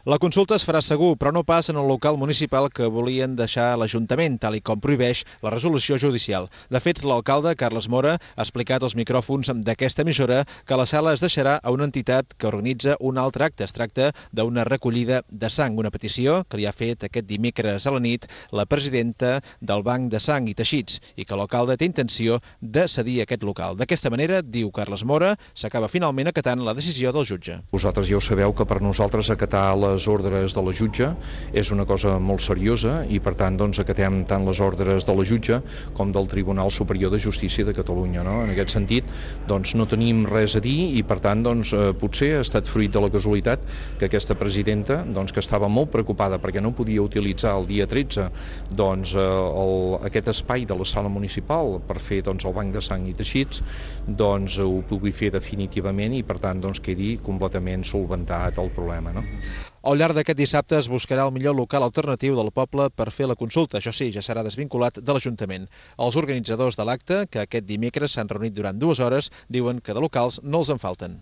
La consulta es farà segur, però no pas en el local municipal que volien deixar l'Ajuntament, tal i com prohibeix la resolució judicial. De fet, l'alcalde, Carles Mora, ha explicat als micròfons d'aquesta emissora que la sala es deixarà a una entitat que organitza un altre acte. Es tracta d'una recollida de sang, una petició que li ha fet aquest dimecres a la nit la presidenta del Banc de Sang i Teixits i que l'alcalde té intenció de cedir aquest local. D'aquesta manera, diu Carles Mora, s'acaba finalment acatant la decisió del jutge. Vosaltres ja ho sabeu que per nosaltres acatar les ordres de la jutge és una cosa molt seriosa i per tant acatem tant les ordres de la jutge com del Tribunal Superior de Justícia de Catalunya. En aquest sentit no tenim res a dir i per tant potser ha estat fruit de la casualitat que aquesta presidenta que estava molt preocupada perquè no podia utilitzar el dia 13 aquest espai de la sala municipal per fer el Banc de Sang i Teixits ho pugui fer definitivament i per tant quedi completament solventat el problema. Al llarg d'aquest dissabte es buscarà el millor local alternatiu del poble per fer la consulta. Això sí, ja serà desvinculat de l'Ajuntament. Els organitzadors de l'acte, que aquest dimecres s'han reunit durant 2 hores, diuen que de locals no els en falten.